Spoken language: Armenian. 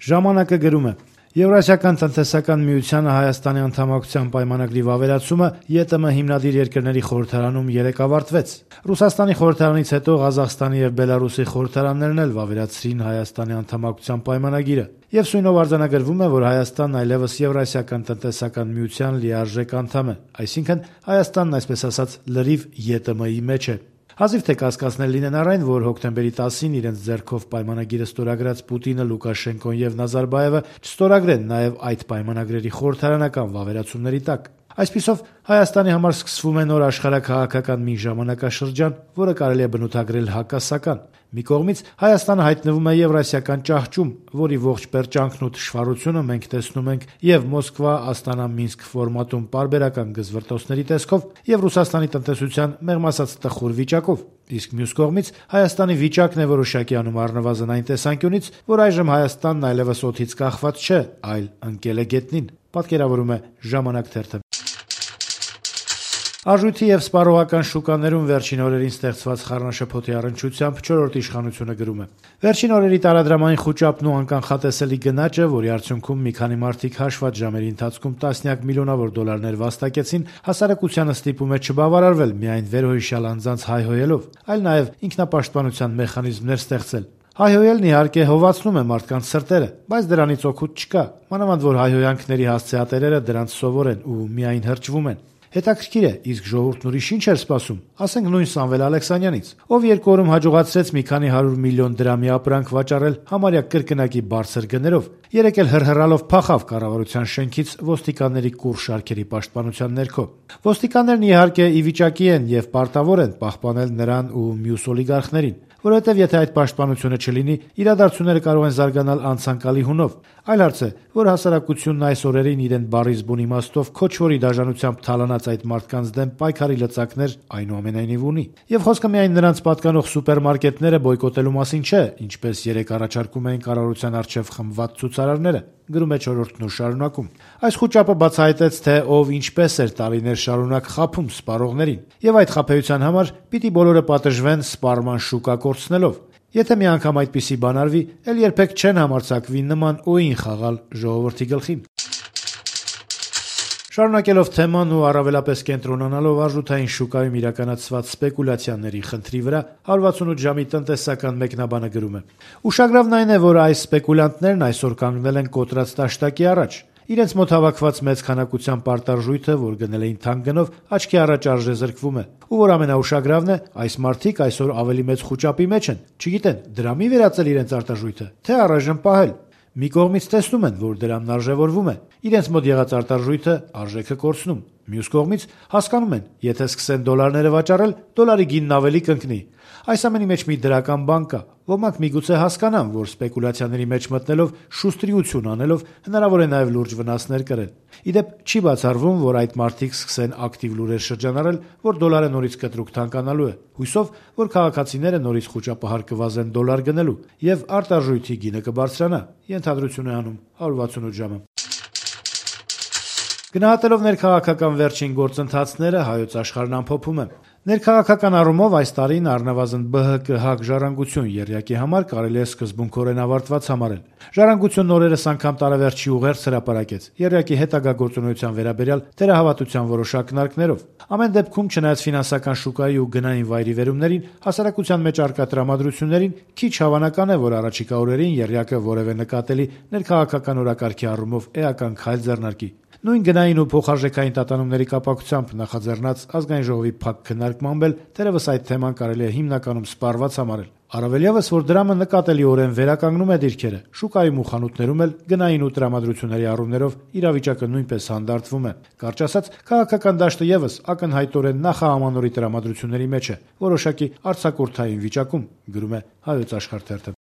Ժամանակը գրում է. Եվրասիական տնտեսական միությանը Հայաստանի անդամակցության պայմանագրի վավերացումը ԵՏՄ հիմնադիր երկրների խորհրդարանում երեկ ավարտվեց։ Ռուսաստանի խորհրդարանից հետո Ղազախստանի եւ Բելարուսի խորհրդարաններն էլ վավերացրին Հայաստանի անդամակցության պայմանագիրը։ Եվ սույնով արձանագրվում է, որ Հայաստանն այլևս Եվրասիական տնտեսական միության լիարժեք անդամ է, այսինքն Հայաստանն այսպես ասած լրիվ ԵՏՄ-ի մեջ է։ Հազիվ թե կասկածներ լինեն առ այն, որ հոկտեմբերի 10-ին իրենց ձեռքով պայմանագիրը ստորագրած Պուտինը, Լուկաշենկոն եւ Նազարբաևը չստորագրեն նաեւ այդ պայմանագրերի խորհրդարանական վավերացումների տակ։ Այսպիսով Հայաստանի համար սկսվում է նոր աշխարհաքաղաքական մի ժամանակաշրջան, որը կարելի է բնութագրել հակասական։ Մի կողմից Հայաստանը հայտնվում է եվրասիական ճահճում, որի ողջ պերճանքն ու թշվառությունը մենք տեսնում ենք եւ Մոսկվա-Աստանա-Մինսկ ֆորմատում պարբերական գզվրտոցների տեսքով եւ Ռուսաստանի տնտեսության մեղմ ասած տխուր վիճակով։ Իսկ մյուս կողմից Հայաստանի վիճակն է որոշակի անում առնվազն այն տեսանկյունից, որ այժմ Հայաստանն այլևս օդից կախված չէ, այլ ընկել է գետնին, պատկերավորում է Ժամանակ թերթը։ Արժույթի եւ սպառողական շուկաներում վերջին օրերին ստեղծված խառնաշփոթի առնչությամբ 4-րդ իշխանությունը գրում է. Վերջին օրերի տարադրամային խուճապն ու անկանխատեսելի գնաճը, որի արդյունքում մի քանի մարդիկ հաշված ժամերի ընթացքում տասնյակ միլիոնավոր դոլարներ վաստակեցին, հասարակությանը ստիպում է չբավարարվել միայն վերոհիշյալ անձանց հայհոյելով, այլ նաեւ ինքնապաշտպանության մեխանիզմներ ստեղծել։ Հայհոյելն իհարկե հովացնում է մարդկանց սրտերը, բայց դրանից օգուտ չկա, մանավանդ որ հայհոյանքների հասցեատերերը դրանց սովոր են ու միայն հրճվում են։ Հետաքրքիր է, իսկ ժողովուրդն ուրիշ ինչ էր սպասում, ասենք նույն Սամվել Ալեքսանյանից, ով 2 օրում հաջողացրեց մի քանի 100 միլիոն դրամի ապրանք վաճառել համարյա կրկնակի բարձր գներով, երեք էլ հրհրալով փախավ կառավարության շենքից ոստիկանների կուռ շարքերի պաշտպանության ներքո։ Ոստիկաններն իհարկե ի վիճակի են եւ պարտավոր են պահպանել նրան ու մյուս օլիգարխներին, որովհետև եթե այդ պաշտպանությունը չլինի, իրադարձությունները կարող են զարգանալ անցանկալի հունով։ Այլ հարց է, որ հասարակությունն այս օրերին իրեն բառից բուն իմաստով քոչվորի դաժանությամբ թալանած այդ մարդկանց դեմ պայքարի լծակներ այնուամենայնիվ ունի։ Եվ խոսքը միայն նրանց պատկանող սուպերմարկետները բոյկոտելու մասին չէ, ինչպես երեք առաջարկում էին կառավարության առջև խմբված ցուցարարները, գրում է 4-րդն ու շարունակում։ Այս խուճապը բացահայտեց, թե ով ինչպես էր տարիներ շարունակ խաբում սպառողներին, եւ այդ խաբեության համար պիտի բոլորը պատժվեն սպառման շուկա կորցնելով։ Եթե մի անգամ այդպիսի բան արվի, էլ երբեք չեն համարձակվի նման օին խաղալ ժողովրդի գլխին։ Շարունակելով թեման ու առավելապես կենտրոնանալով արժութային շուկայում իրականացված սպեկուլյացիաների խնդրի վրա, 168 ժամի տնտեսական մեկնաբանը գրում է. Ուշագրավն այն է, որ այս սպեկուլյանտներն այսօր կանգնել են կոտրած տաշտակի առաջ։ Իրենց մոտ հավաքված մեծ քանակության պարտարժույթը, որ գնել էին թանկ գնով, աչքի առաջ արժեզրկվում է։ Ու որ ամենաուշագրավն է, այս մարդիկ այսօր ավելի մեծ խուճապի մեջ են, չգիտեն դրամի վերածել իրենց արտարժույթը, թե առայժմ պահել։ Մի կողմից տեսնում են, որ դրամն արժևորվում է, իրենց մոտ եղած արտարժույթը արժեքը կորցնում։ Մյուս կողմից հասկանում են, եթե սկսեն դոլարները վաճառել, դոլարի գինն ավելի կընկնի։ Այս ամենի մեջ մի դրական բան կա։ Ոմանք միգուցե հասկանան, որ սպեկուլյացիաների մեջ մտնելով, շուստրիություն անելով հնարավոր է նաև լուրջ վնասներ կրել։ Իդեպ չի բացառվում, որ այդ մարդիկ սկսեն ակտիվ լուրեր շրջանառել, որ դոլարը նորից կտրուկ թանկանալու է, հույսով, որ քաղաքացիները նորից խուճապահար կվազեն դոլար գնելու եւ արտարժույթի գինը կբարձրանա։ Ենթադրություն է անում 168 ժամը։ Գնահատելով ներքաղաքական վերջին գործընթացները, Հայոց Աշխարհն ամփոփում է. Ներքաղաքական առումով այս տարին առնվազն ԲՀԿ-ՀԱԿ ժառանգություն եռյակի համար կարելի է սկզբունքորեն ավարտված համարել։ Ժառանգությունն օրերս անգամ տարեվերջի ուղերձ հրապարակեց եռյակի հետագա գործունեության վերաբերյալ թերահավատության որոշ ակնարկներով։ Ամեն դեպքում, չնայած ֆինանսական շուկայի ու գնային վայրի վերումներին, հասարակության մեջ առկա տրամադրություններին, քիչ հավանական է, որ առաջիկա օրերին եռյակը որևէ նկատելի ներքաղաքական օրակարգի առումով էական քայլ ձեռնարկի։ Նույն գնային ու փոխարժեքային տատանումների կապակցությամբ նախաձեռնած ազգային ժողովի փակ քննարկմամբ էլ թերևս այդ թեման կարելի է հիմնականում սպառված համարել։ Առավել ևս, որ դրամը նկատելիորեն վերականգնում է դիրքերը, շուկայում ու խանութներում էլ գնային ու տրամադրությունների առումներով իրավիճակը նույնպես հանդարտվում է։ Կարճ ասած, քաղաքական դաշտը ևս ակնհայտորեն նախահամանորի տրամադրությունների մեջ է, որոշակի արձակուրդային վիճակում, գրում է Հայոց Աշխարհ թերթը։